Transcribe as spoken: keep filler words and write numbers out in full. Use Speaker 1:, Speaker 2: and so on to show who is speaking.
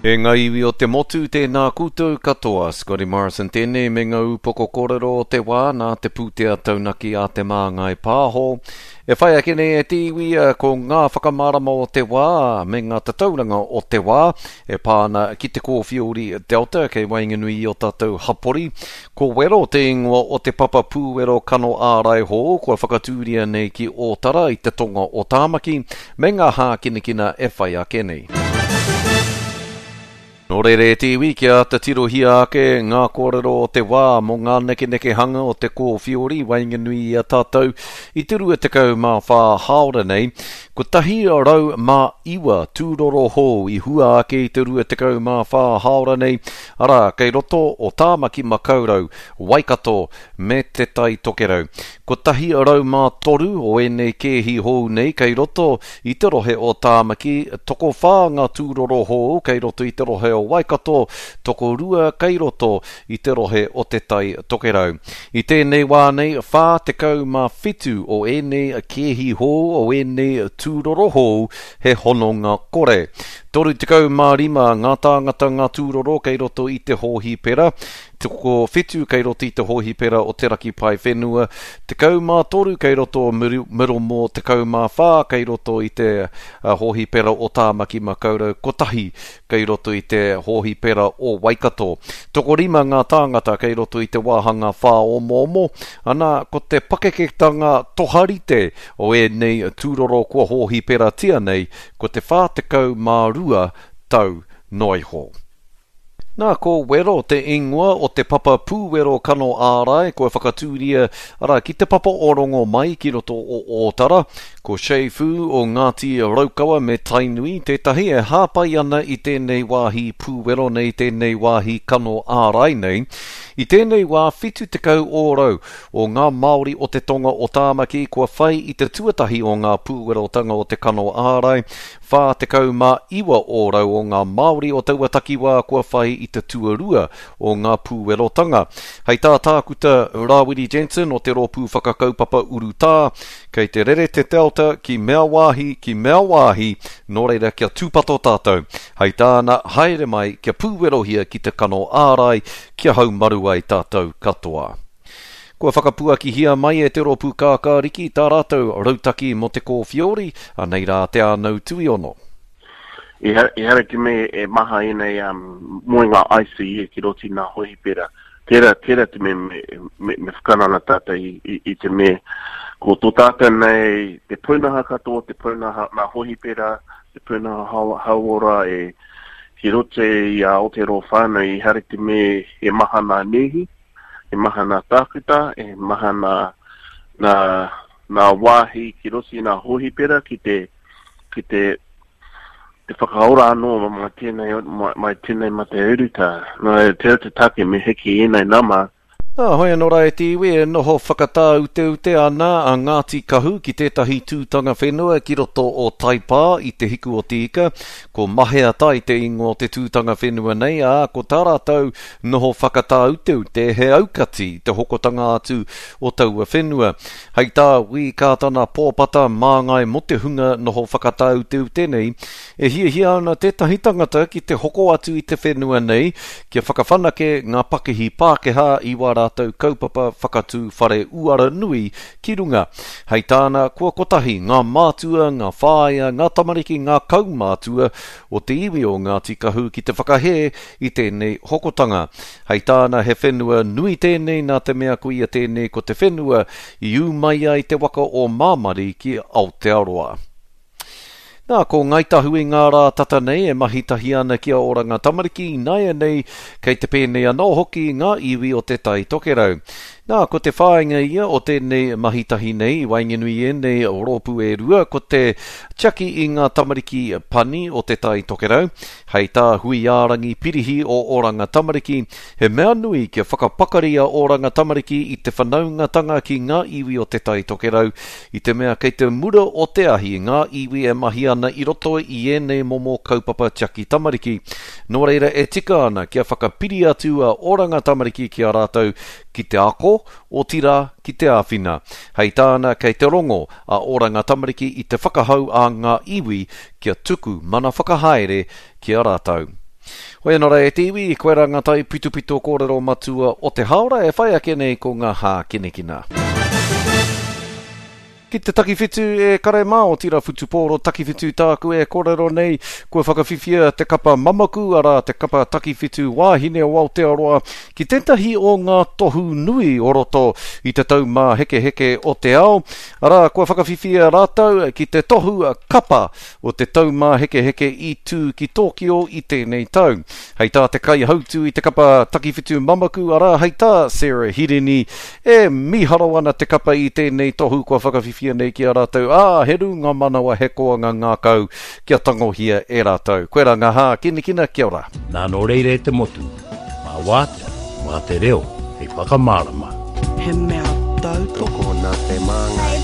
Speaker 1: E ngā iwi o te motu, tēnā koutou katoa. Scotty Morrison tēnei me ngā upoko kōrero o te wā nā te pūtea taunaki a Te Māngai Pāho. E whai ake nei e te iwi ko ngā whakamārama o te wā me ngā tatauranga o te wā e pā ana ki te kōwhiori Delta kei waenganui i o tātou hapori. Ko Wero te ingoa o te papa pūwero kano ārai hou kua whakatūria nei ki Ōtara i te tonga o Tāmaki me ngā hākinakina e whai ake nei. Nō reira e te iwi, kia āta tirohia ake ngā kōrero o te wā mō ngā nekenekehanga o te kōwhiori waenganui i a tātou i te rua tekau mā whā hāora nei. Kotahi rau mā iwa tūroro hou i hua ake i te rua tekau mā whā hāora nei, arā, kei roto o Tāmaki Makaurau, Waikato me Te Tai Tokerau. Kotahi rau mā toru o ēnei kēhi hou nei kei roto i te rohe o Tāmaki, tokowhā ngā tūroro hou kei roto i te rohe o Waikato, tokorua kei roto i te rohe o Te Tai Tokerau. I tēnei wā nei, whā tekau mā whitu o ēnei kēhi hou, o ēnei tūroro hou, he hononga kore. Toru tekau mā rima ngā tāngata ngā tūroro kei roto i te hōhipera, tokowhitu kei roto i te hōhipera o Te Raki Paewhenua, tekau mā toru kei roto o Middlemore, tekau mā whā kei roto i te hōhipera o Tāmaki Makaurau, kotahi kei roto i te hōhipera o Waikato. Tokorima ngā tāngata kei roto i te wāhanga whāomoomo, ana ko te pakeketanga toharite o ēnei tūroro kua hōhiperatia nei, ko te whā tekau mā rua tau noa iho. Nā, ko Wero te ingoa o te papa pūwero kano ārai kua whakatūria, arā, ki te papa o Rongomai ki roto o Ōtara. Ko Che Fu o Ngāti Raukawa me Tainui tētahi e hāpai ana i tēnei wāhi pūwero nei, tēnei wāhi kano ārai nei. I tēnei wā whitu tekau ōrau o ngā Māori o te tonga o Tāmaki kua whai i te tuatahi o ngā pūwerotanga o te kano ārai, whā tekau mā iwa ōrau o ngā Māori o taua takiwā kua whai i te tuarua o ngā pūwerotanga. Hei tā Tākuta Rāwiri Jensen o te rōpū whakakaupapa urutā, kei te rere te Delta ki mea wāhi, ki mea wāhi, nō reira kia tūpato tātou. Hei tāna, haere mai kia pūwerohia ki te kano ārai, kia haumaru ai tātou katoa. Kua whakapuakihia mai e te rōpū kākāriki tā rātou rautaki mō te kōwhiori, anei rā te ānau tuiono.
Speaker 2: Ehara te mea e maha ēnei um, moenga I C U ki roto i ngā hōhipera. Tērā, tērā te mea me, me, me whakanana tātou i, i, i te mea. Ko tō tātou nei te pūnaha katoa, te pūnaha ngā hōhipera, te pūnaha hau-, hauora e ki roto i a Aotearoa whānui, ehara te mea e maha ngā nēhi, e maha ngā tākuta, e maha ngā, ngā, ngā wāhi ki roto i ngā hōhipera ki te, ki te, te whakaora anō mai tēnei, mai, mai tēnei mate urutā. Nā, te te take me hiki ēnei nama.
Speaker 1: Nā, hoi anō rā e te iwi e noho whakatāuteute ana a Ngāti Kahu ki tētahi tūtanga whenua ki roto o Taipā i te hiku o te ika. Ko Mahea Tai te ingoa o te tūtanga whenua nei, ā, ko tā rātou noho whakatāuteute he aukati te hokotanga atu o taua whenua. Hei tā Wī Kātana Pōpata māngai mō te hunga noho whakatāuteute nei, e hiahia ana tētahi tangata ki te hoko atu i te whenua nei kia whakawhanake ngā pakihi Pākehā i wā rātou kaupapa whakatū whare uara nui ki runga. Hei tāna, kua kotahi ngā mātua, ngā whāia, ngā tamariki, ngā kaumātua o te iwi o Ngāti Kahu ki te whakahē i tēnei hokotanga. Hei tāna, he whenua nui tēnei nā te mea ko ia tēnei ko te whenua i ū mai ai te waka o Māmari ki Aotearoa. Nā, ko Ngāi Tahu i ngā rā tata nei e mahi tahi ana ki a Oranga Tamariki, nāianei kei te pēnei anō hoki ngā iwi o Te Tai Tokerau. Nā, ko te whāinga ia o tēnei mahi tahi nei, i waenganui ēnei rōpū e rua, ko te tiaki i ngā tamariki pani o Te Tai Tokerau. Hei tā Huiārangi Pirihi o Oranga Tamariki, he mea nui kia whakapakari a Oranga Tamariki i te whanaungatanga ki ngā iwi o Te Tai Tokerau, i te mea kei te mura o te ahi ngā iwi e mahi ana i roto i ēnei momo kaupapa tiaki tamariki. Nō reira e tika ana kia whakapiri atu a Oranga Tamariki ki a rātou ki te ako, otirā ki te āwhina. Hei tāna kei te rongo a Oranga Tamariki i te whakahau a ngā iwi kia tuku mana whakahaere ki a rātou. Hoi anō rā e te iwi, koirā ngā taipitopito kōrero matua o te hāora e whai ake nei ko ngā hākinakina. Ki te takiwhitu e kare mā, otirā whutupōro takiwhitu tāku e kōrero nei, kua whakawhiwhia te kapa mamaku, arā te kapa takiwhitu wāhine o Aotearoa, ki tētahi o ngā tohu nui o roto i te taumāhekeheke o te ao, arā kua whakawhiwhia rātou ki te tohu kapa o te taumāhekeheke i tū ki Tōkio i tēnei tau. Hei tā te kaihautū i te kapa takiwhitu mamaku, arā, hei tā Sarah Hirini, e mīharo ana te kapa i tēnei tohu kua whakawhiwhia nei ki a rātou, ā, he rūnga manawa, he koanga ngākau kia tangohia e rātou. Koirā ngā hākinakina, kia ora.
Speaker 3: Nā nō reira e te motu, mā wātea, mā te reo hei whakamārama.
Speaker 4: He mea tautoko.
Speaker 5: Tokona te māngai.